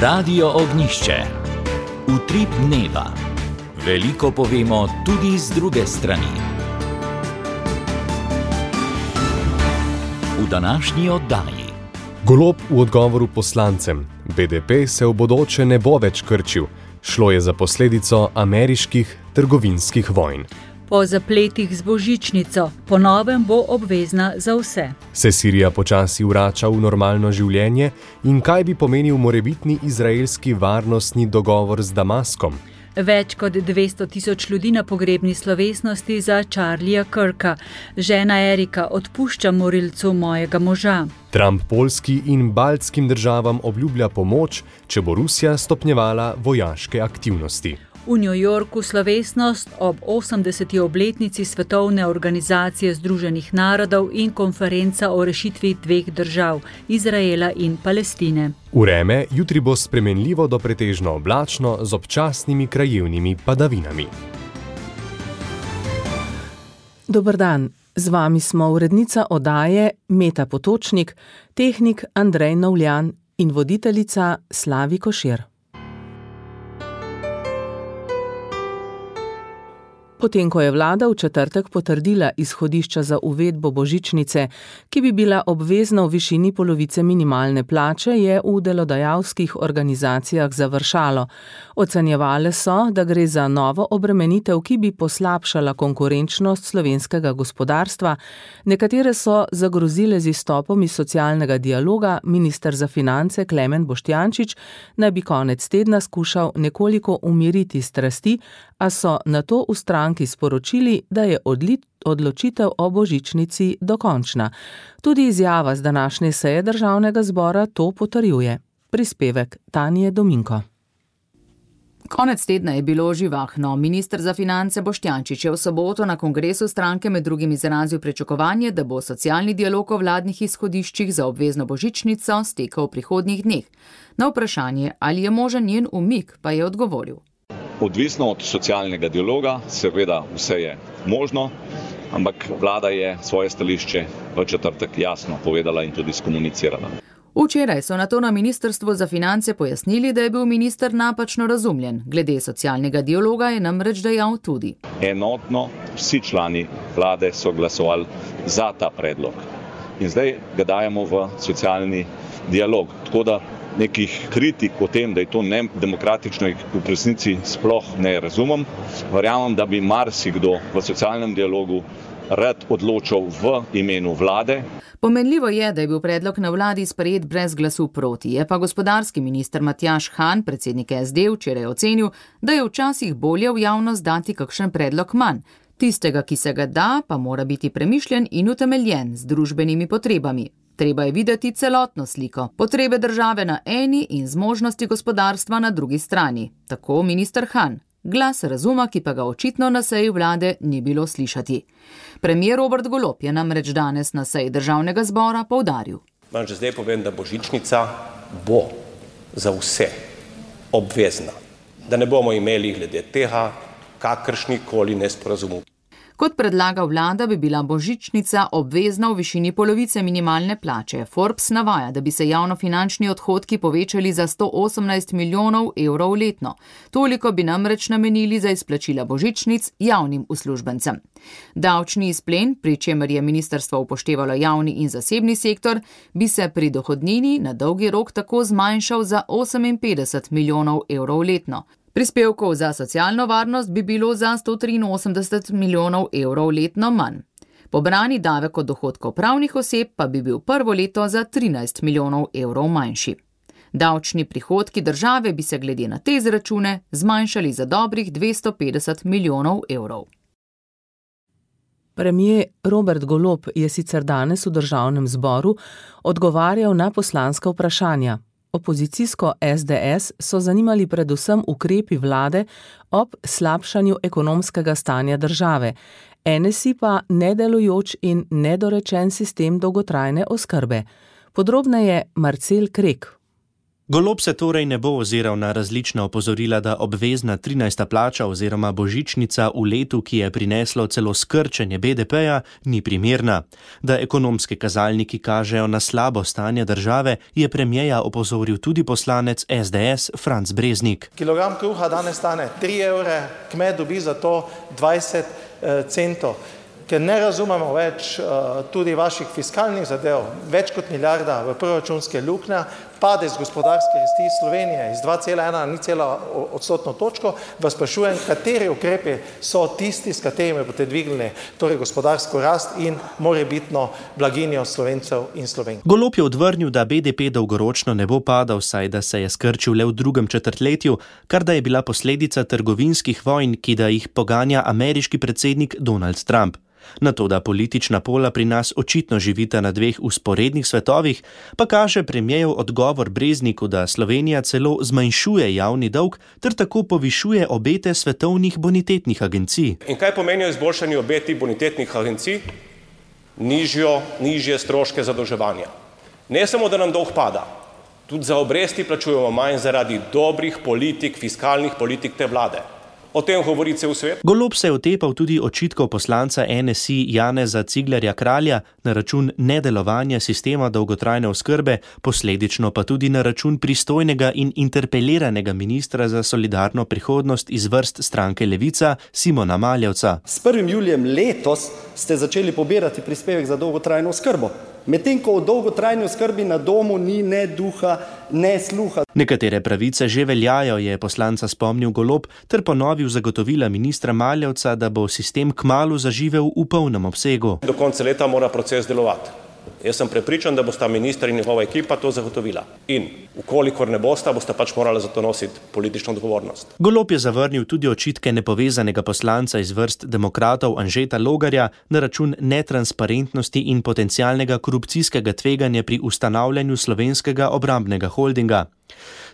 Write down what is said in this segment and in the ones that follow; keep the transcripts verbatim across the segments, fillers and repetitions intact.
Radio Ognjišče. Utrip dneva. Veliko povemo tudi z druge strani. V današnji oddaji. Golob v odgovoru poslancem. B D P se v bodoče ne bo več krčil. Šlo je za posledico ameriških trgovinskih vojn. Po zapletih z božičnico, po novem bo obvezna za vse. Se Sirija počasi vrača v normalno življenje in kaj bi pomenil morebitni izraelski varnostni dogovor z Damaskom? Več kot dvesto tisoč ljudi na pogrebni slovesnosti za Charlieja Kirka. Žena Erika odpušča morilcu mojega moža. Trump Poljski in baltskim državam obljublja pomoč, če bo Rusija stopnjevala vojaške aktivnosti. V New Yorku slovesnost ob osemdeseti obletnici Svetovne organizacije Združenih narodov in konferenca o rešitvi dveh držav, Izraela in Palestine. Vreme jutri bo spremenljivo do pretežno oblačno z občasnimi krajevnimi padavinami. Dober dan, z vami smo urednica oddaje Meta Potočnik, tehnik Andrej Novljan in voditeljica Slavi Košir. Potem, ko je vlada v četrtek potrdila izhodišča za uvedbo božičnice, ki bi bila obvezna v višini polovice minimalne plače, je v delodajalskih organizacijah završalo. Ocenjevale so, da gre za novo obremenitev, ki bi poslabšala konkurenčnost slovenskega gospodarstva. Nekatere so zagrozile z izstopom iz socialnega dialoga, minister za finance Klemen Boštjančič naj bi konec tedna skušal nekoliko umiriti strasti, a so nato v stranki sporočili, da je odločitev o božičnici dokončna. Tudi izjava z današnje seje državnega zbora to potrjuje. Prispevek Tanje Dominko. Konec tedna je bilo živahno. Minister za finance Boštjančič je v soboto na kongresu stranke med drugim izrazil pričakovanje, da bo socialni dialog o vladnih izhodiščih za obvezno božičnico stekel v prihodnjih dneh. Na vprašanje, ali je možen njen umik, pa je odgovoril. Odvisno od socialnega dialoga, seveda vse je možno, ampak vlada je svoje stališče v četrtek jasno povedala in tudi skomunicirala. Včeraj so nato na ministrstvu za finance pojasnili, da je bil minister napačno razumljen. Glede socialnega dialoga je namreč dejal tudi. Enotno vsi člani vlade so glasovali za ta predlog. In zdaj ga dajemo v socialni dialog. Tako da nekih kritik o tem, da je to nedemokratično, v resnici sploh ne razumem. Verjamem, da bi marsikdo v socialnem dialogu rad odločal v imenu vlade. Pomenljivo je, da je bil predlog na vladi sprejet brez glasu proti. Je pa gospodarski minister Matjaž Han, predsednik S D, včeraj ocenil, da je včasih bolje v javnost dati kakšen predlog manj. Tistega, ki se ga da, pa mora biti premišljen in utemeljen z družbenimi potrebami. Treba je videti celotno sliko, potrebe države na eni in zmožnosti gospodarstva na drugi strani. Tako minister Han. Glas razuma, ki pa ga očitno na seji vlade ni bilo slišati. Premier Robert Golob je namreč danes na seji državnega zbora poudaril. Vam že zdaj povem, da božičnica bo za vse obvezna. Da ne bomo imeli glede tega kakršnikoli nesporazumov. Kot predlaga vlada, bi bila božičnica obvezna v višini polovice minimalne plače. Forbes navaja, da bi se javnofinančni odhodki povečali za sto osemnajst milijonov evrov letno. Toliko bi namreč namenili za izplačila božičnic javnim uslužbencem. Davčni izplen, pri čemer je ministrstvo upoštevalo javni in zasebni sektor, bi se pri dohodnini na dolgi rok tako zmanjšal za oseminpetdeset milijonov evrov letno. Prispevkov za socialno varnost bi bilo za sto triinosemdeset milijonov evrov letno manj. Pobrani davek od dohodkov pravnih oseb pa bi bil prvo leto za trinajst milijonov evrov manjši. Davčni prihodki države bi se glede na te izračune zmanjšali za dobrih dvesto petdeset milijonov evrov. Premier Robert Golob je sicer danes v državnem zboru odgovarjal na poslanska vprašanja. Opozicijsko S D S so zanimali predvsem ukrepi vlade ob slabšanju ekonomskega stanja države, N S I pa nedelujoč in nedorečen sistem dolgotrajne oskrbe. Podrobneje Marcel Krek. Golob se torej ne bo oziral na različna opozorila, da obvezna trinajsta plača oziroma božičnica v letu, ki je prineslo celo skrčenje B D P-ja, ni primerna. Da ekonomski kazalniki kažejo na slabo stanje države, je premierja opozoril tudi poslanec S D S Franc Breznik. Kilogram kruha danes stane tri evre, kmet dobi za to dvajset centov. Ker ne razumemo več uh, tudi vaših fiskalnih zadev, več kot milijarda v proračunske luknje, padec gospodarske rasti Slovenije iz dva cela ena na nič cela odstotno točko, vas sprašujem, kateri ukrepi so tisti, s katerimi boste dvignili torej gospodarsko rast in morebitno blaginjo Slovencev in Slovenk. Golob je odvrnil, da B D P dolgoročno ne bo padal, saj da se je skrčil le v drugem četrtletju, kar da je bila posledica trgovinskih vojn, ki da jih poganja ameriški predsednik Donald Trump. Na to, da politična pola pri nas očitno živita na dveh usporednih svetovih, pa kaže premierjev odgovor Brezniku, da Slovenija celo zmanjšuje javni dolg ter tako povišuje obete svetovnih bonitetnih agencij. In kaj pomenijo izboljšanje obeti bonitetnih agencij? Nižjo, nižje stroške zadolževanja. Ne samo, da nam dolg pada, tudi za obresti plačujemo manj zaradi dobrih politik, fiskalnih politik te vlade. O tem govori cel svet. Golob se je otepal tudi očitkov poslanca N S I Janeza Ciglerja Kralja na račun nedelovanja sistema dolgotrajne oskrbe, posledično pa tudi na račun pristojnega in interpeliranega ministra za solidarno prihodnost iz vrst stranke Levica Simona Maljevca. S prvim julijem letos ste začeli pobirati prispevek za dolgotrajno oskrbo. Medtem ko v dolgotrajni oskrbi na domu ni ne duha, ne sluha. Nekatere pravice že veljajo, je poslanca spomnil Golob, ter ponovil zagotovila ministra Maljevca, da bo sistem kmalu zaživel v polnem obsegu. Do konca leta mora proces delovati. Jaz sem prepričan, da bosta minister in njegova ekipa to zagotovila. In ukolikor ne bosta, bosta pač morala za to nositi politično odgovornost. Golob je zavrnil tudi očitke nepovezanega poslanca iz vrst demokratov Anžeta Logarja na račun netransparentnosti in potencialnega korupcijskega tveganja pri ustanavljanju slovenskega obrambnega holdinga.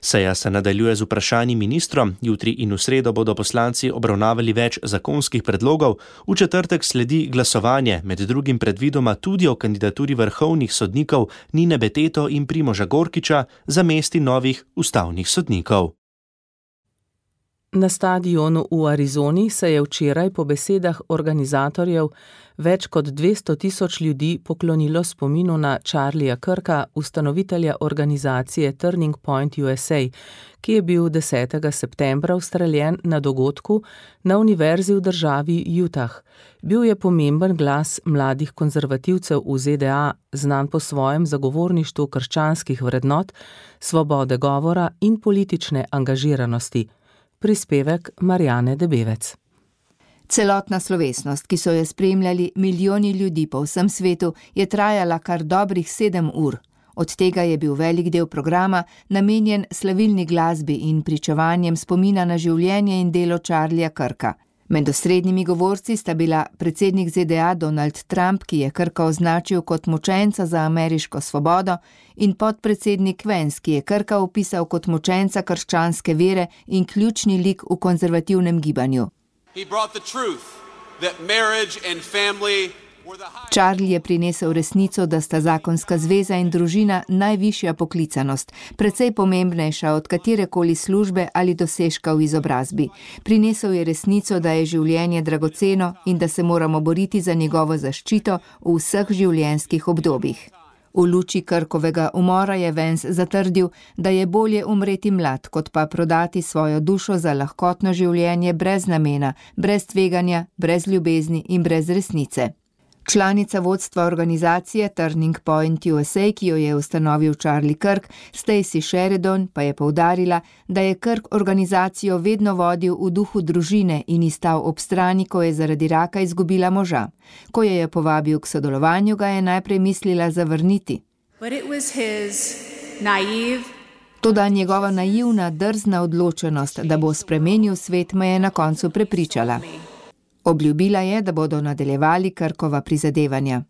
Seja se nadaljuje z vprašanji ministrom, jutri in v sredo bodo poslanci obravnavali več zakonskih predlogov, v četrtek sledi glasovanje, med drugim predvidoma tudi o kandidaturi vrhovnih sodnikov Nine Beteto in Primoža Gorkiča za mesti novih ustavnih sodnikov. Na stadionu v Arizoni se je včeraj po besedah organizatorjev več kot dvesto tisoč ljudi poklonilo spominu na Charlieja Kirka, ustanovitelja organizacije Turning Point U S A, ki je bil desetega septembra ustreljen na dogodku na univerzi v državi Utah. Bil je pomemben glas mladih konzervativcev v Z D A, znan po svojem zagovorništvu krščanskih vrednot, svobode govora in politične angažiranosti. Prispevek Marjane Debevec. Celotna slovesnost, ki so jo spremljali milijoni ljudi po vsem svetu, je trajala kar dobrih sedem ur. Od tega je bil velik del programa namenjen slavilni glasbi in pričevanjem spomina na življenje in delo Charlieja Kirka. Med osrednjimi govorci sta bila predsednik Z D A Donald Trump, ki je Kirka označil kot mučenca za ameriško svobodo, in podpredsednik Vance, ki je Kirka opisal kot mučenca krščanske vere in ključni lik v konzervativnem gibanju. Charlie je prinesel resnico, da sta zakonska zveza in družina najvišja poklicanost, precej pomembnejša od katerekoli službe ali dosežka v izobrazbi. Prinesel je resnico, da je življenje dragoceno in da se moramo boriti za njegovo zaščito v vseh življenjskih obdobjih. V luči Kirkovega umora je Vance zatrdil, da je bolje umreti mlad, kot pa prodati svojo dušo za lahkotno življenje brez namena, brez tveganja, brez ljubezni in brez resnice. Članica vodstva organizacije Turning Point U S A, ki jo je ustanovil Charlie Kirk, Stacey Sheridan, pa je poudarila, da je Kirk organizacijo vedno vodil v duhu družine in ji stal ob strani, ko je zaradi raka izgubila moža. Ko jo je povabil k sodelovanju, ga je najprej mislila zavrniti. Toda njegova naivna, drzna odločenost, da bo spremenil svet, me je na koncu prepričala. Obljubila je, da bodo nadaljevali Kirkova prizadevanja.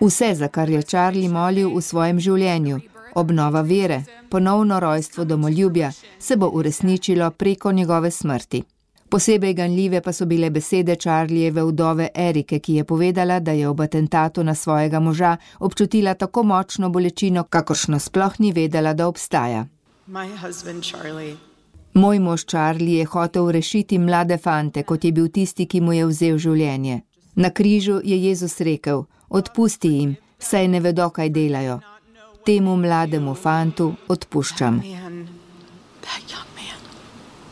Vse, za kar je Charlie molil v svojem življenju, obnova vere, ponovno rojstvo domoljubja, se bo uresničilo preko njegove smrti. Posebej ganljive pa so bile besede Charlieve vdove Erike, ki je povedala, da je ob atentatu na svojega moža občutila tako močno bolečino, kakršno sploh ni vedela, da obstaja. Moj mož Charlie je hotel rešiti mlade fante, kot je bil tisti, ki mu je vzel življenje. Na križu je Jezus rekel, odpusti jim, saj ne vedo, kaj delajo. Temu mlademu fantu odpuščam.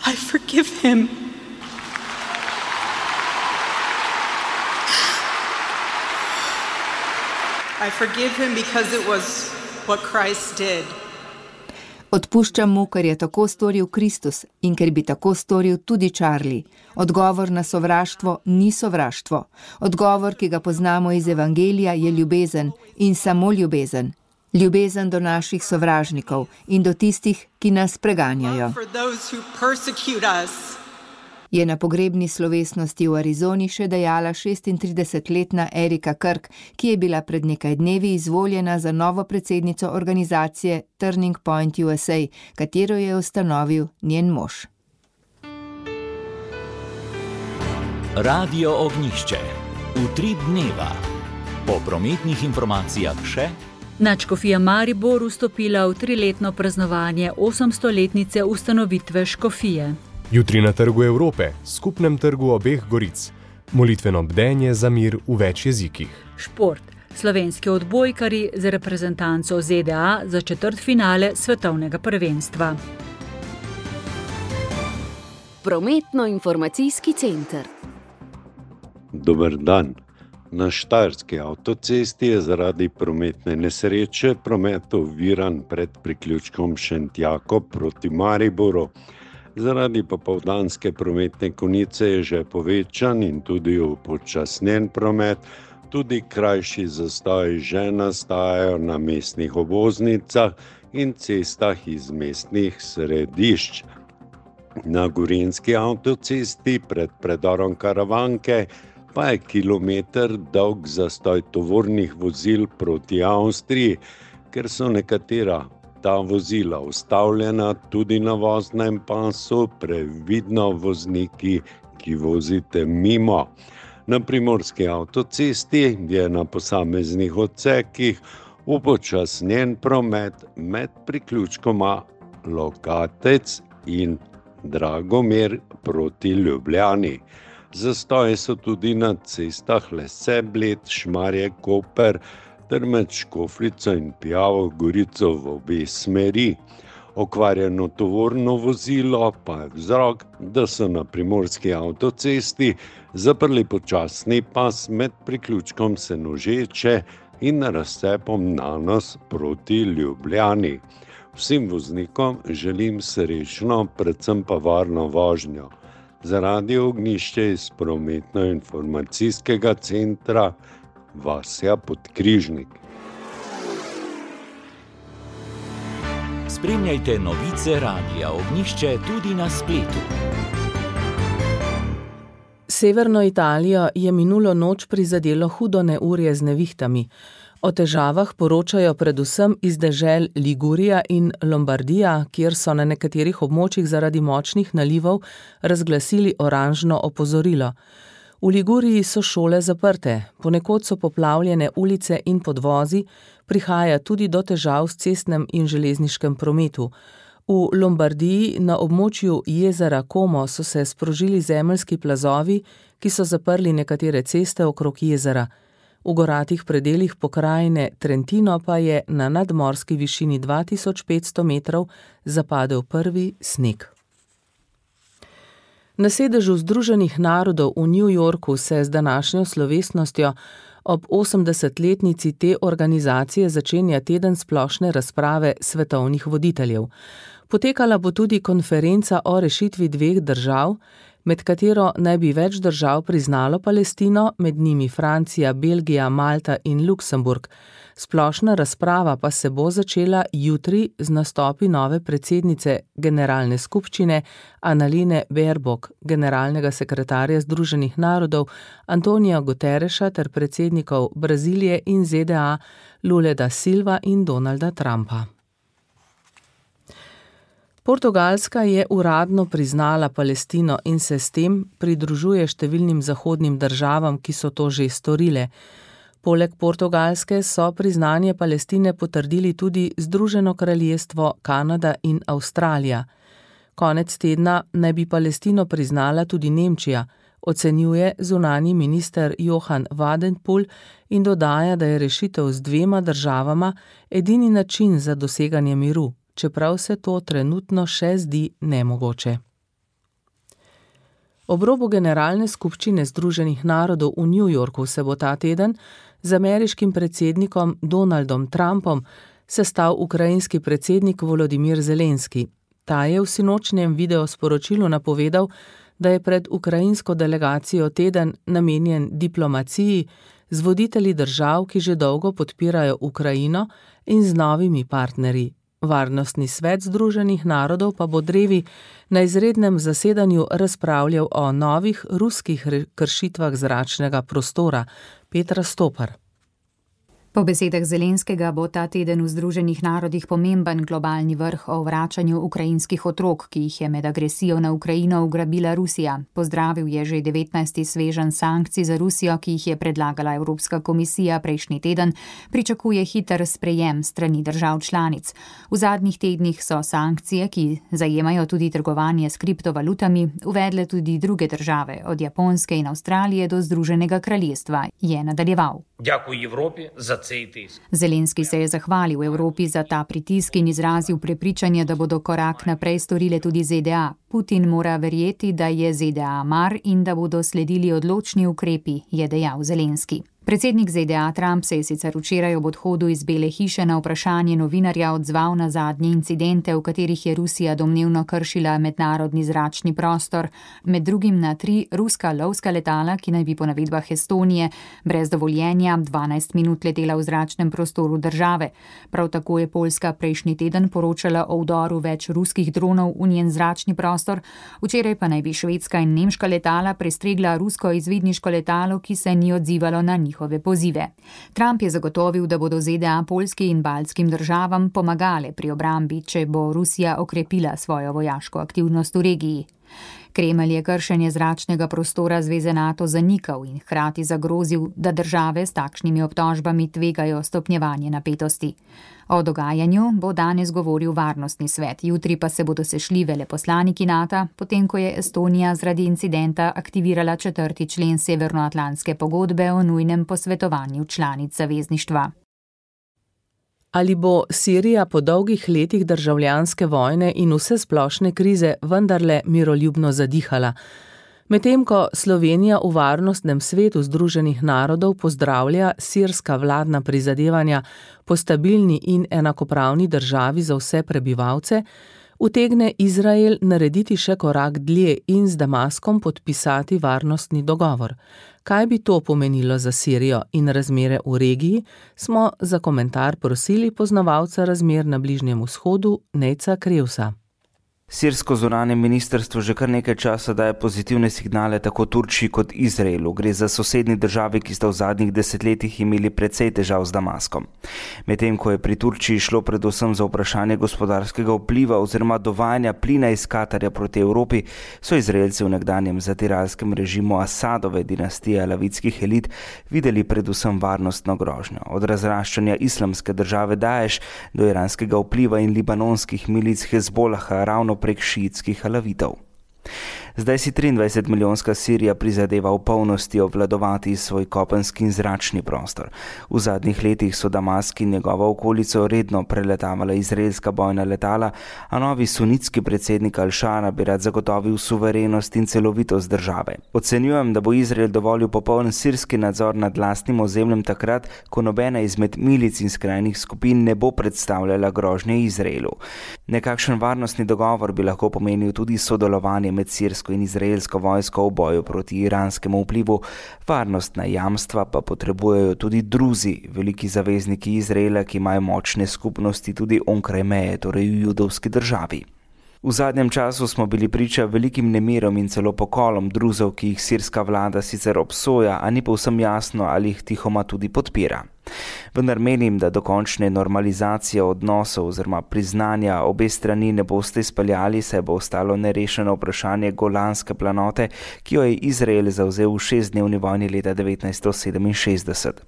I forgive him. I forgive him because it was what Christ did. Odpuščam mu, ker je tako storil Kristus in ker bi tako storil tudi Charlie. Odgovor na sovraštvo ni sovraštvo. Odgovor, ki ga poznamo iz Evangelija, je ljubezen in samo ljubezen. Ljubezen do naših sovražnikov in do tistih, ki nas preganjajo. Je na pogrebni slovesnosti v Arizoni še dejala šestintridesetletna Erika Kirk, ki je bila pred nekaj dnevi izvoljena za novo predsednico organizacije Turning Point U S A, katero je ustanovil njen mož. Radio Ognjišče. Utrip dneva. Po prometnih informacijah še. Nadškofija Maribor vstopila v triletno praznovanje osemstoletnice ustanovitve škofije. Jutri na Trgu Evrope, skupnem trgu obeh goric. Molitveno bdenje za mir v več jezikih. Šport. Slovenski odbojkarji z reprezentanco Z D A za četrtfinale svetovnega prvenstva. Prometno-informacijski center. Dober dan. Na Štajerski avtocesti je zaradi prometne nesreče promet oviran pred priključkom Šentjako proti Mariboru. Zaradi popoldanske prometne konice je že povečan in tudi upočasnjen promet, tudi krajši zastoji že nastajajo na mestnih obvoznicah in cestah iz mestnih središč. Na Gorenjski avtocesti pred predorom Karavanke pa je kilometer dolg zastoj tovornih vozil proti Avstriji, ker so nekatera ta vozila ustavljena tudi na voznem pasu, previdno vozniki, ki vozite mimo. Na Primorski avtocesti je na posameznih odsekih upočasnjen promet med priključkoma Lokatec in Dragomer proti Ljubljani. Zastoji so tudi na cestah Lese, Bled, Šmarje, Koper, ter med Škofljico in Pijavo Gorico v obe smeri. Okvarjeno tovorno vozilo pa je vzrok, da so na Primorski avtocesti zaprli počasni pas med priključkom Senožeče in razcepom Nanos proti Ljubljani. Vsem voznikom želim srečno, predvsem pa varno vožnjo. Za Radio Ognjišče iz prometno-informacijskega centra Vasja Podkrižnik. Spremljajte novice Radia Ognjišče tudi na spletu. Severno Italijo je minulo noč prizadelo hudo neurje z nevihtami. O težavah poročajo predvsem iz dežel Ligurija in Lombardija, kjer so na nekaterih območjih zaradi močnih nalivov razglasili oranžno opozorilo. V Liguriji so šole zaprte, ponekod so poplavljene ulice in podvozi, prihaja tudi do težav s cestnem in železniškem prometu. V Lombardiji na območju jezera Como so se sprožili zemeljski plazovi, ki so zaprli nekatere ceste okrog jezera. V goratih predelih pokrajine Trentino pa je na nadmorski višini dva tisoč petsto metrov zapadel prvi sneg. Na sedežu Združenih narodov v New Yorku se z današnjo slovesnostjo ob osemdesetletnici te organizacije začenja teden splošne razprave svetovnih voditeljev. Potekala bo tudi konferenca o rešitvi dveh držav, med katero naj bi več držav priznalo Palestino, med njimi Francija, Belgija, Malta in Luksemburg. Splošna razprava pa se bo začela jutri z nastopi nove predsednice Generalne skupščine Annalene Baerbock, generalnega sekretarja Združenih narodov Antonija Guterreša ter predsednikov Brazilije in Z D A Lule da Silva in Donalda Trumpa. Portugalska je uradno priznala Palestino in se s tem pridružuje številnim zahodnim državam, ki so to že storile. Poleg Portugalske so priznanje Palestine potrdili tudi Združeno kraljestvo, Kanada in Avstralija. Konec tedna naj bi Palestino priznala tudi Nemčija, ocenjuje zunanji minister Johann Wadephul in dodaja, da je rešitev z dvema državama edini način za doseganje miru, čeprav se to trenutno še zdi nemogoče. Ob robu Generalne skupščine Združenih narodov v New Yorku se bo ta teden z ameriškim predsednikom Donaldom Trumpom sestal ukrajinski predsednik Volodimir Zelenski. Ta je v sinočnjem videosporočilu napovedal, da je pred ukrajinsko delegacijo teden namenjen diplomaciji z voditelji držav, ki že dolgo podpirajo Ukrajino, in z novimi partnerji. Varnostni svet Združenih narodov pa bo drevi na izrednem zasedanju razpravljal o novih ruskih kršitvah zračnega prostora. Petra Stopar. Po besedah Zelenskega bo ta teden v Združenih narodih pomemben globalni vrh o vračanju ukrajinskih otrok, ki jih je med agresijo na Ukrajino ugrabila Rusija. Pozdravil je že devetnajsti sveženj sankcij za Rusijo, ki jih je predlagala Evropska komisija prejšnji teden, pričakuje hiter sprejem strani držav članic. V zadnjih tednih so sankcije, ki zajemajo tudi trgovanje s kriptovalutami, uvedle tudi druge države, od Japonske in Avstralije do Združenega kraljestva, je nadaljeval. Дякую Європі за цей тиск. Zelenski se je zahvalil Evropi za ta pritisk in izrazil prepričanje, da bodo korak naprej storile tudi Z D A. Putin mora verjeti, da je Z D A mar in da bodo sledili odločni ukrepi, je dejal Zelenski. Predsednik Z D A Trump se je sicer včeraj ob odhodu iz Bele hiše na vprašanje novinarja odzval na zadnje incidente, v katerih je Rusija domnevno kršila mednarodni zračni prostor, med drugim na tri ruska lovska letala, ki naj bi po navedbah Estonije brez dovoljenja dvanajst minut letela v zračnem prostoru države. Prav tako je Poljska prejšnji teden poročala o vdoru več ruskih dronov v njen zračni prostor, včeraj pa naj bi švedska in nemška letala prestregla rusko izvidniško letalo, ki se ni odzivalo na njih. Pozive. Trump je zagotovil, da bodo Z D A Poljski in baltskim državam pomagale pri obrambi, če bo Rusija okrepila svojo vojaško aktivnost v regiji. Kremelj je kršenje zračnega prostora Zveze NATO zanikal in hkrati zagrozil, da države s takšnimi obtožbami tvegajo stopnjevanje napetosti. O dogajanju bo danes govoril Varnostni svet, jutri pa se bodo sešli veleposlaniki NATO, potem ko je Estonija zaradi incidenta aktivirala četrti člen Severnoatlantske pogodbe o nujnem posvetovanju članic zavezništva. Ali bo Sirija po dolgih letih državljanske vojne in vse splošne krize vendarle miroljubno zadihala? Medtem ko Slovenija v Varnostnem svetu Združenih narodov pozdravlja sirska vladna prizadevanja po stabilni in enakopravni državi za vse prebivalce, utegne Izrael narediti še korak dlje in z Damaskom podpisati varnostni dogovor. Kaj bi to pomenilo za Sirijo in razmere v regiji, smo za komentar prosili poznavalca razmer na Bližnjem vzhodu Nejca Krevsa. Sirsko zunanje ministrstvo že kar nekaj časa daje pozitivne signale tako Turčiji kot Izraelu. Gre za sosednji državi, ki sta v zadnjih desetletjih imeli precej težav z Damaskom. Medtem ko je pri Turčiji šlo predvsem za vprašanje gospodarskega vpliva oziroma dovajanja plina iz Katarja proti Evropi, so Izraelci v nekdanjem zatiralskem režimu Asadove dinastije alavitskih elit videli predvsem varnostno grožnjo. Od razraščanja islamske države Daesh do iranskega vpliva in libanonskih milic Hezbolaha ravno prek šiitskih alavitov. Zdaj si triindvajset milijonska Sirija prizadeva v polnosti obvladovati svoj kopenski in zračni prostor. V zadnjih letih so Damask in njegova okolico redno preletavala izraelska bojna letala, a novi sunitski predsednik Al-Shara bi rad zagotovil suverenost in celovitost države. Ocenjujem, da bo Izrael dovolil popoln sirski nadzor nad lastnim ozemljem takrat, ko nobena izmed milic in skrajnih skupin ne bo predstavljala grožnje Izraelu. Nekakšen varnostni dogovor bi lahko pomenil tudi sodelovanje med sirsko in izraelsko vojsko v boju proti iranskemu vplivu, varnostna jamstva pa potrebujejo tudi druzi, veliki zavezniki Izraela, ki imajo močne skupnosti tudi onkraj meje, torej v judovski državi. V zadnjem času smo bili priča velikim nemirom in celo pokolom druzov, ki jih sirska vlada sicer obsoja, a ni povsem jasno, ali jih tihoma tudi podpira. Vendar menim, da dokončne normalizacije odnosov oziroma priznanja obe strani ne boste izpeljali, saj bo ostalo nerešeno vprašanje Golanske planote, ki jo je Izrael zavzel v šestdnevni vojni leta devetnajststo sedeminšestdeset.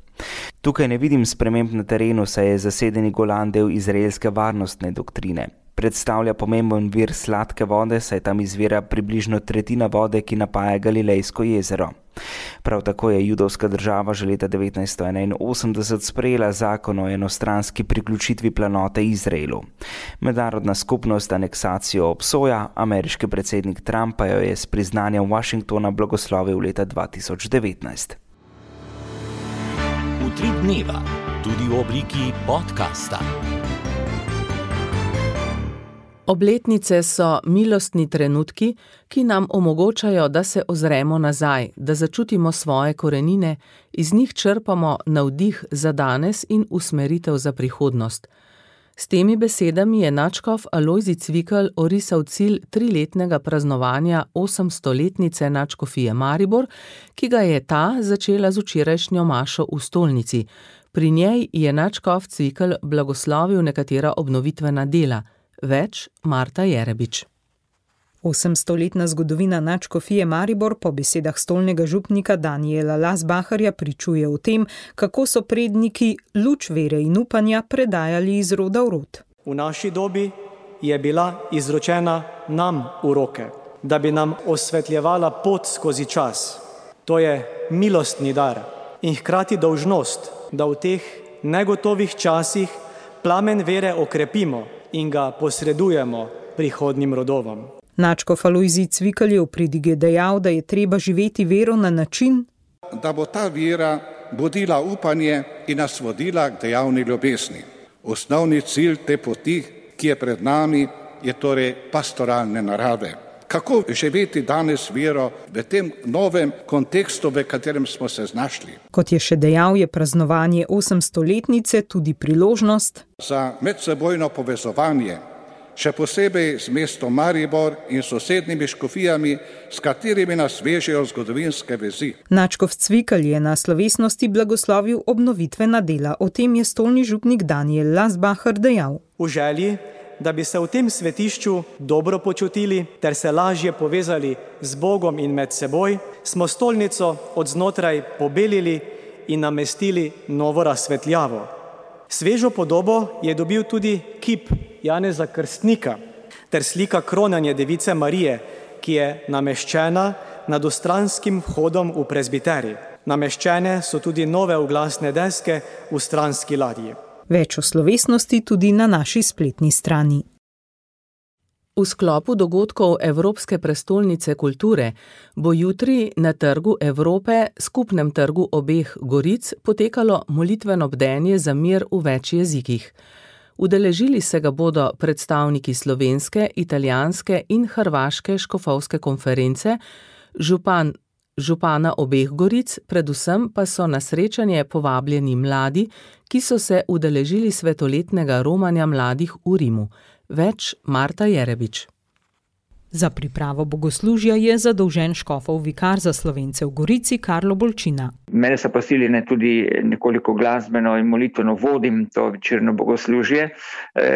Tukaj ne vidim sprememb na terenu, saj je zasedeni Golan del izraelske varnostne doktrine. Predstavlja pomemben vir sladke vode, saj tam izvira približno tretjina vode, ki napaja Galilejsko jezero. Prav tako je judovska država že leta devetnajststo enainosemdeset sprejela zakon o enostranski priključitvi planote Izraelu. Mednarodna skupnost aneksacijo obsoja, ameriški predsednik Trump pa jo je s priznanjem Washingtona blagoslovil leta dva tisoč devetnajst. Utrip dneva, tudi v obliki podcasta. Obletnice so milostni trenutki, ki nam omogočajo, da se ozremo nazaj, da začutimo svoje korenine, iz njih črpamo navdih za danes in usmeritev za prihodnost. S temi besedami je nadškof Alojzij Cvikl orisal cilj triletnega praznovanja osemstoletnice nadškofije Maribor, ki ga je ta začela z včerajšnjo mašo v stolnici. Pri njej je nadškof Cvikl blagoslovil nekatera obnovitvena dela. Več Marta Jerebič. Osemstoletna zgodovina nadškofije Maribor po besedah stolnega župnika Danijela Lasbacherja pričuje o tem, kako so predniki luč vere in upanja predajali iz roda v rod. V naši dobi je bila izročena nam v roke, da bi nam osvetljevala pot skozi čas. To je milostni dar in hkrati dolžnost, da v teh negotovih časih plamen vere okrepimo in ga posredujemo prihodnjim rodovom. Nadškof Alojzij Cvikl je v pridige dejal, da je treba živeti vero na način, da bo ta vera budila upanje in nas vodila k dejavni ljubezni. Osnovni cilj te poti, ki je pred nami, je torej pastoralne narave. Kako živeti danes vero v tem novem kontekstu, v katerem smo se znašli? Kot je še dejal, je praznovanje osemstoletnice tudi priložnost za medsebojno povezovanje, še posebej z mestom Maribor in sosednjimi škofijami, s katerimi nas vežejo zgodovinske vezi. Nadškof Cvikl je na slovesnosti blagoslovil obnovitvena dela. O tem je stolni župnik Danijel Lasbacher dejal. V želji, da bi se v tem svetišču dobro počutili ter se lažje povezali z Bogom in med seboj, smo stolnico od znotraj pobelili in namestili novo razsvetljavo. Svežo podobo je dobil tudi kip Janeza Krstnika ter slika kronanja device Marije, ki je nameščena nad ostranskim vhodom v prezbiterij. Nameščene so tudi nove oglasne deske v stranski ladji. Več o slovesnosti tudi na naši spletni strani. V sklopu dogodkov Evropske prestolnice kulture bo jutri na Trgu Evrope, skupnem trgu obeh Goric, potekalo molitveno bdenje za mir v več jezikih. Udeležili se ga bodo predstavniki slovenske, italijanske in hrvaške škofovske konference, župan župana obeh Goric, predvsem pa so na srečanje povabljeni mladi, ki so se udeležili svetoletnega romanja mladih v Rimu. Več Marta Jerebič. Za pripravo bogoslužja je zadolžen škofov vikar za Slovence v Gorici Karlo Bolčina. Mene so prosili, ne tudi nekoliko glasbeno in molitveno vodim to večerno bogoslužje,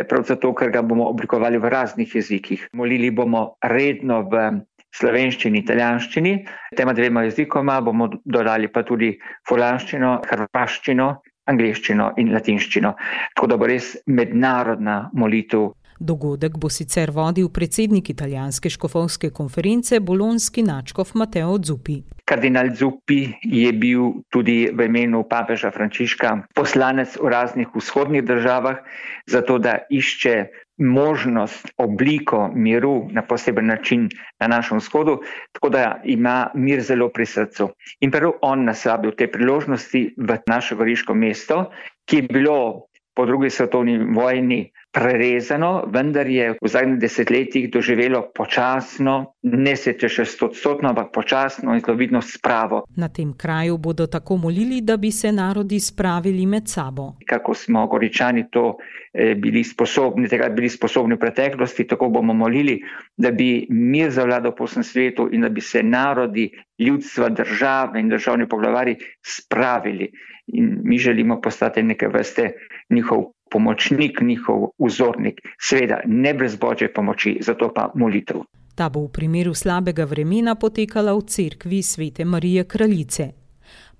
prav zato, ker ga bomo oblikovali v raznih jezikih. Molili bomo redno v slovenščini, italijanščini, tema dvema jezikoma bomo dodali pa tudi furlanščino, hrvaščino, angleščino in latinščino. Tako da bo res mednarodna molitev. Dogodek bo sicer vodil predsednik italijanske škofovske konference, bolonski nadškof Matteo Zuppi. Kardinal Zuppi je bil tudi v imenu papeža Frančiška poslanec v raznih vzhodnih državah, zato da išče možnost, obliko miru na poseben način na našem vzhodu, tako da ima mir zelo pri srcu. In prav on nas vabi v te priložnosti v naše goriško mesto, ki je bilo po drugi svetovni vojni prerezano, vendar je v zadnjih desetletjih doživelo počasno, ne sicer še stotstotno, ampak počasno in zelo vidno spravo. Na tem kraju bodo tako molili, da bi se narodi spravili med sabo. Kako smo Goričani to eh, bili sposobni, tega bili sposobni v preteklosti, tako bomo molili, da bi mir zavladal po vsem svetu in da bi se narodi, ljudstva, države in državni poglavari spravili. In mi želimo postati neke vrste njihov pomočnik, njihov vzornik, seveda ne brez Božje pomoči, zato pa molitev. Ta bo v primeru slabega vremena potekala v cerkvi Svete Marije Kraljice.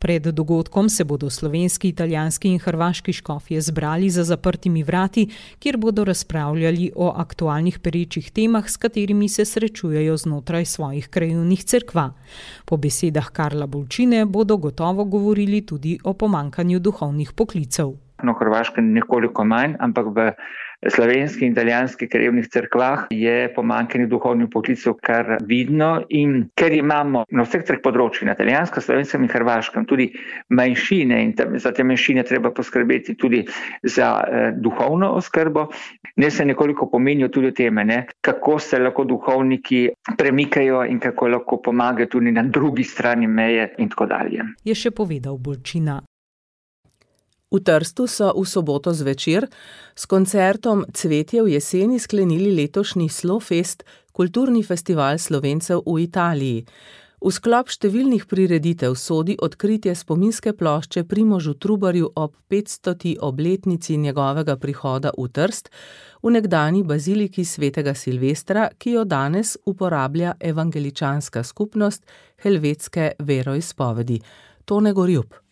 Pred dogodkom se bodo slovenski, italijanski in hrvaški škofje zbrali za zaprtimi vrati, kjer bodo razpravljali o aktualnih perečih temah, s katerimi se srečujejo znotraj svojih krajevnih cerkva. Po besedah Karla Bolčine bodo gotovo govorili tudi o pomankanju duhovnih poklicev. Na Hrvaškem nekoliko manj, ampak v slovenskih in italijanskih krajevnih cerkvah je pomanjkanje duhovnih poklicev kar vidno in ker imamo na vseh treh področjih, na italijanskem, slovenskem in hrvaškem, tudi manjšine in za te manjšine treba poskrbeti tudi za eh, duhovno oskrbo, ne se nekoliko pomenijo tudi teme, ne, kako se lahko duhovniki premikajo in kako lahko pomagajo tudi na drugi strani meje in tako dalje. Je še povedal Bolčina. V Trstu so v soboto zvečer s koncertom Cvetje v jeseni sklenili letošnji Slofest, kulturni festival Slovencev v Italiji. V sklop številnih prireditev sodi odkritje spominske plošče Primožu Trubarju ob petstoti obletnici njegovega prihoda v Trst, v nekdanji baziliki svetega Silvestra, ki jo danes uporablja evangeličanska skupnost helvetske veroizpovedi. Tone Gorjup.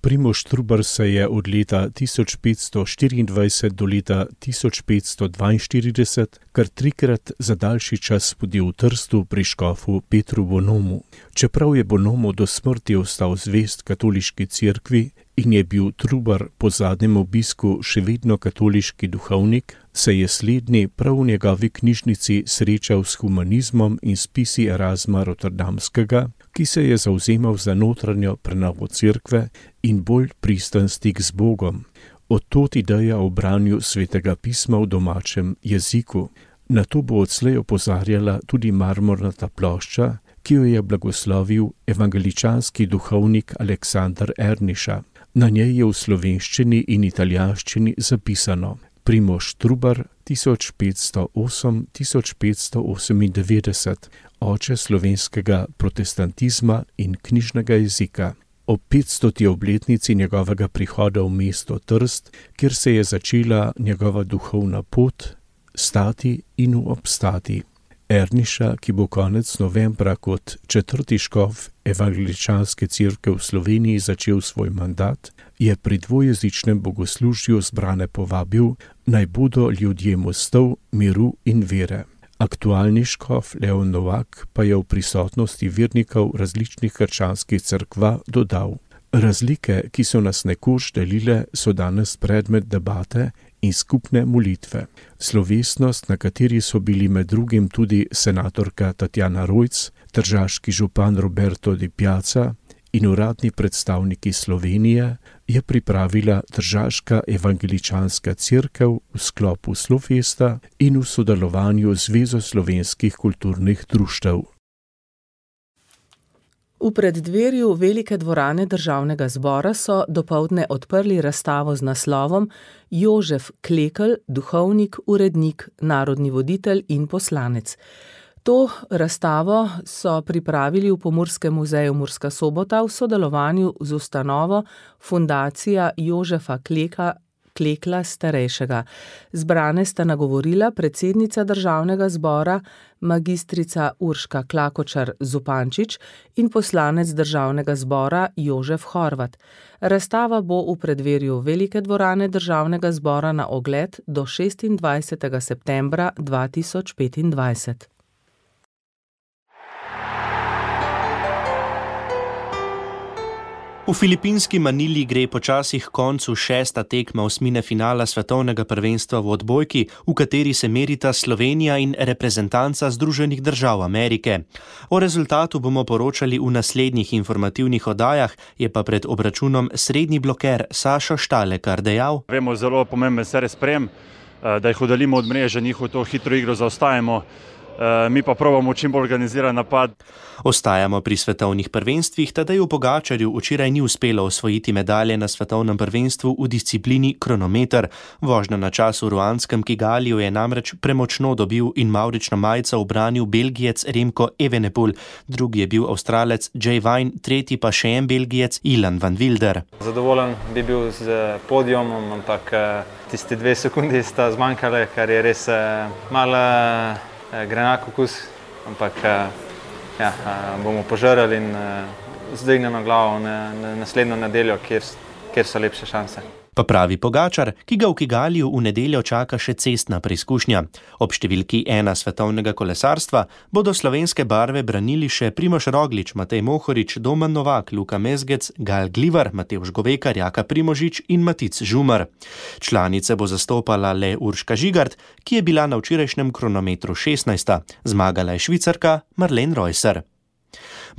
Primož Trubar se je od leta tisoč petsto štiriindvajset do leta tisoč petsto dvainštirideset kar trikrat za daljši čas spodil v Trstu pri škofu Petru Bonomu. Čeprav je Bonomo do smrti ostal zvest katoliški cerkvi in je bil Trubar po zadnjem obisku še vedno katoliški duhovnik, se je slednji prav v njegovi knjižnici srečal s humanizmom in spisi Erasma Rotterdamskega, ki se je zavzemal za notranjo prenovo cerkve in bolj pristen stik z Bogom. Od tod ideja o branju svetega pisma v domačem jeziku. Na to bo odslej opozarjala tudi marmornata plošča, ki jo je blagoslovil evangeličanski duhovnik Aleksander Erniša. Na njej je v slovenščini in italijanščini zapisano: Primož Trubar tisoč petsto osem do tisoč petsto osemindevetdeset, oče slovenskega protestantizma in knjižnega jezika. Ob petstoti obletnici njegovega prihoda v mesto Trst, kjer se je začela njegova duhovna pot, stati in obstati. Erniša, ki bo konec novembra kot četrti škof evangeličanske cerkve v Sloveniji začel svoj mandat, je pri dvojezičnem bogoslužju zbrane povabil, naj bodo ljudje mostov, miru in vere. Aktualni škof Leon Novak pa je v prisotnosti vernikov različnih krščanskih cerkva dodal: Razlike, ki so nas nekoč delile, so danes predmet debate in skupne molitve. Slovesnost, na kateri so bili med drugim tudi senatorka Tatjana Rojc, tržaški župan Roberto Di Piazza in uradni predstavniki Slovenije, je pripravila Tržaška evangeličanska cerkev v sklopu Slofesta in v sodelovanju z Zvezo slovenskih kulturnih društev. V preddverju velike dvorane Državnega zbora so dopoldne odprli razstavo z naslovom Jožef Klekl, duhovnik, urednik, narodni voditelj in poslanec. To razstavo so pripravili v Pomurskem muzeju Murska Sobota v sodelovanju z ustanovo Fundacija Jožefa Kleka, Klekla starejšega. Zbrane sta nagovorila predsednica Državnega zbora, magistrica Urška Klakočar Zupančič in poslanec Državnega zbora Jožef Horvat. Razstava bo v preddverju velike dvorane Državnega zbora na ogled do šestindvajsetega septembra dva tisoč petindvajset. V V filipinski Manili gre počasi k koncu šesta tekma osmine finala svetovnega prvenstva v odbojki, v kateri se merita Slovenija in reprezentanca Združenih držav Amerike. O rezultatu bomo poročali v naslednjih informativnih oddajah, je pa pred obračunom srednji bloker Sašo Štalekar dejal: Vemo, zelo pomemben se razprem, da jih oddaljimo od mreže, njihovo to hitro igro zaostajamo. Mi pa probamo čim bolj organiziran napad. Ostajamo pri svetovnih prvenstvih, Tadeju Pogačarju včeraj ni uspelo osvojiti medalje na svetovnem prvenstvu v disciplini kronometer. Vožnjo na čas v ruandskem Kigaliju je namreč premočno dobil in mavrično majico ubranil Belgijec Remko Evenepoel, drugi je bil Avstralec Jay Vine, tretji pa še en Belgijec Ilan van Wilder. Zadovoljen bi bil z podijomom, ampak tiste dve sekundi sta zmanjkale, kar je res malo grenak okus, ampak ja, bomo požrali in zdignemo glavo na, na naslednjo nedeljo, kjer, kjer so lepše šanse. Pa pravi Pogačar, ki ga v Kigaliju v nedeljo čaka še cestna preizkušnja. Ob številki ena svetovnega kolesarstva bodo slovenske barve branili še Primož Roglič, Matej Mohorič, Domen Novak, Luka Mezgec, Gal Glivar, Matevž Govekar, Jaka Primožič in Matic Žumar. Članice bo zastopala le Urška Žigart, ki je bila na včerajšnjem kronometru šestnajsta. Zmagala je Švicarka Marlene Reusser.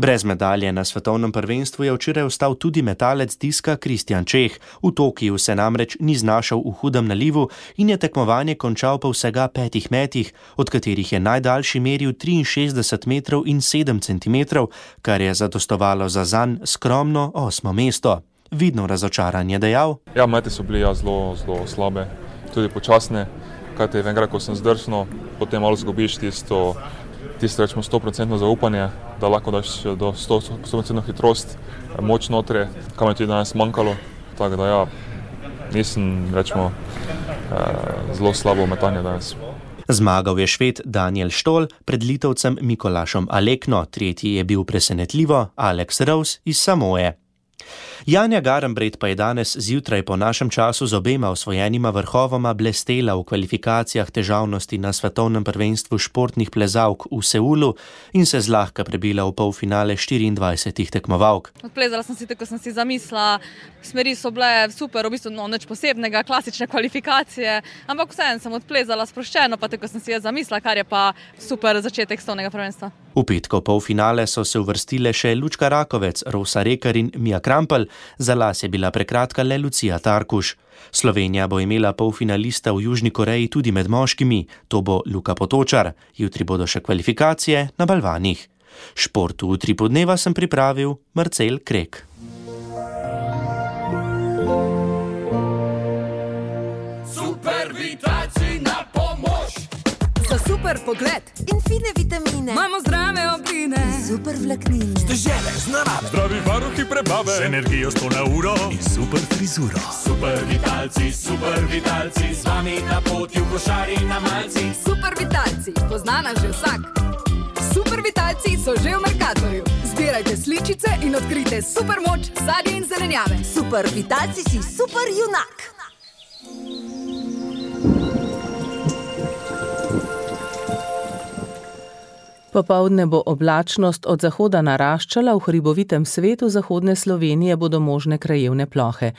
Brez medalje na svetovnem prvenstvu je včeraj ostal tudi metalec diska Kristjan Čeh. V Tokiju se namreč ni znašel v hudem nalivu in je tekmovanje končal po vsega petih metih, od katerih je najdaljši meril triinšestdeset metrov in sedem centimetrov, kar je zadostovalo za zanj skromno osmo mesto. Vidno razočaran je dejal: Ja, mete so bili ja, zelo, zelo slabe, tudi počasne, kajte enkrat, ko sem zdrsnil, potem malo zgubiš tisto tisto rečemo sto procentno zaupanje, da lahko daš do sto procentno hitrost, moč notre, kam je tudi danes manjkalo. Tako da ja, nisem rečemo zelo slabo metanje danes. Zmagal je Šved Daniel Štol pred Litovcem Mikolašom Alekno, tretji je bil presenetljivo Alex Rose iz Samoje. Janja Garnbret pa je danes zjutraj po našem času z obema osvojenima vrhovoma blestela v kvalifikacijah težavnosti na svetovnem prvenstvu športnih plezalk v Seulu in se zlahka prebila v polfinale štiriindvajsetih tekmovalk. Odplezala sem si tako, sem si zamislila, smeri so bile super, v bistvu no, nič posebnega, klasične kvalifikacije, ampak vseeno sem odplezala sproščeno, pa tako sem si je zamislila, kar je pa super začetek svetovnega prvenstva. V petkov polfinale so se uvrstile še Lučka Rakovec, Rosa Rekar in Mija Krampelj, za las je bila prekratka le Lucija Tarkuš. Slovenija bo imela polfinalista v Južni Koreji tudi med moškimi, to bo Luka Potočar. Jutri bodo še kvalifikacije na balvanih. Športu v Utripu dneva sem pripravil Marcel Krek. Super pogled in fine vitamine. Imamo zdrave obline, super vlaknine. Stežele z narave, zdravi varuhi prebave, z energijo sto na uro in super frizuro. Super vitalci, super vitalci, z vami na poti v košari na malci. Super vitalci, poznana že vsak. Super vitalci so že v Mercatorju. Zbirajte sličice in odkrite super moč sadja in zelenjave. Super vitalci si super junak. Popoldne bo oblačnost od zahoda naraščala, v hribovitem svetu zahodne Slovenije bodo možne krajevne plohe.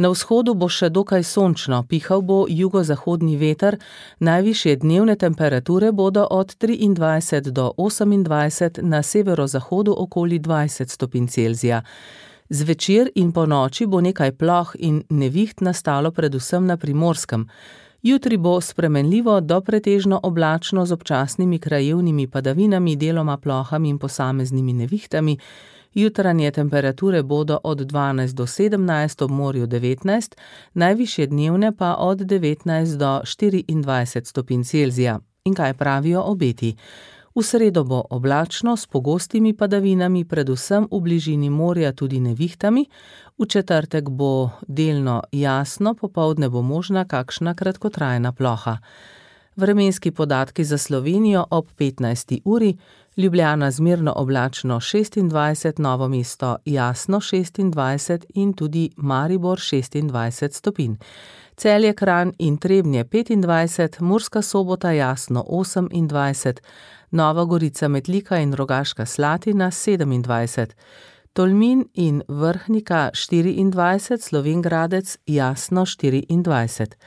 Na vzhodu bo še dokaj sončno, pihal bo jugozahodni veter, najvišje dnevne temperature bodo od triindvajset do osemindvajset, na severozahodu okoli dvajset stopinj Celzija. Zvečer in po noči bo nekaj ploh in neviht nastalo predvsem na Primorskem. Jutri bo spremenljivo do pretežno oblačno z občasnimi krajevnimi padavinami, deloma plohami in posameznimi nevihtami. Jutranje temperature bodo od dvanajst do sedemnajst, ob morju devetnajst, najvišje dnevne pa od devetnajst do štiriindvajset stopinj Celzija. In kaj pravijo obeti? V sredo bo oblačno s pogostimi padavinami, predvsem v bližini morja tudi nevihtami. V četrtek bo delno jasno, popoldne bo možna kakšna kratkotrajna ploha. Vremenski podatki za Slovenijo ob petnajsti uri, Ljubljana zmerno oblačno šestindvajset, Novo mesto jasno šestindvajset in tudi Maribor šestindvajset stopinj. Celje, Kranj in Trebnje petindvajset, Murska Sobota jasno osemindvajset, Nova Gorica, Metlika in Rogaška Slatina sedemindvajset. Tolmin in Vrhnika štiriindvajset, Slovenj Gradec Jasno štiriindvajset.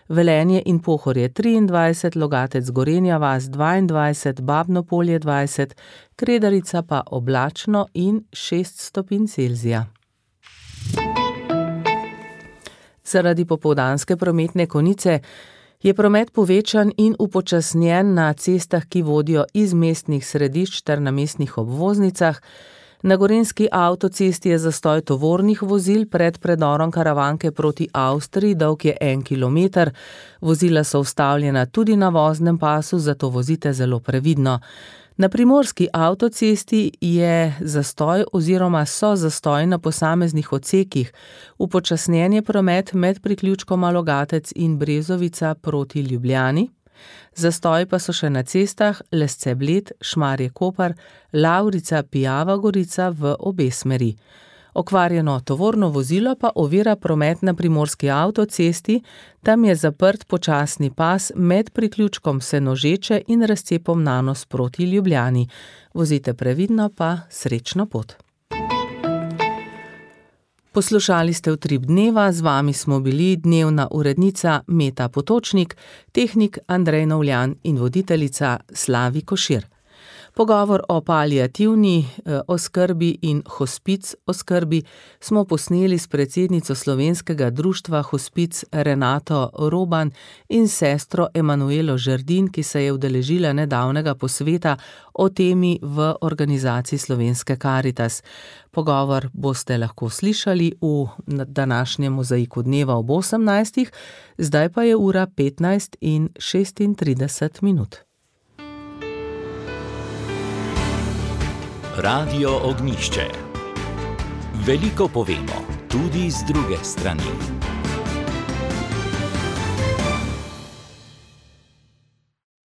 Velenje in Pohorje triindvajset, Logatec Gorenja vas dvaindvajset, Babno Polje dvajset, Kredarica pa oblačno in šest stopinj Celzija. Zaradi popoldanske prometne konice je promet povečan in upočasnjen na cestah, ki vodijo iz mestnih središč ter na mestnih obvoznicah. Na gorenjski avtocesti je zastoj tovornih vozil pred predorom Karavanke proti Avstriji, dolg je en kilometer. Vozila so ustavljena tudi na voznem pasu, zato vozite zelo previdno. Na primorski avtocesti je zastoj oziroma so zastoj na posameznih odsekih. Upočasnjen je promet med priključkoma Logatec in Brezovica proti Ljubljani. Zastoj pa so še na cestah Lesce Bled, Šmarje Kopar, Lavrica Pijava Gorica v obe smeri. Okvarjeno tovorno vozilo pa ovira promet na primorski avtocesti, tam je zaprt počasni pas med priključkom Senožeče in razcepom Nanos proti Ljubljani. Vozite previdno pa srečno pot. Poslušali ste Utrip dneva, z vami smo bili dnevna urednica Meta Potočnik, tehnik Andrej Novljan in voditeljica Slavi Košir. Pogovor o paliativni oskrbi in hospic oskrbi smo posneli s predsednico Slovenskega društva Hospic Renato Roban in sestro Emanuelo Žerdin, ki se je udeležila nedavnega posveta o temi v organizaciji Slovenske Karitas. Pogovor boste lahko slišali v današnjem Mozaiku dneva ob osemnajstih, zdaj pa je ura petnajst in šestintrideset minut. Radio Ognjišče. Veliko povemo, tudi z druge strani.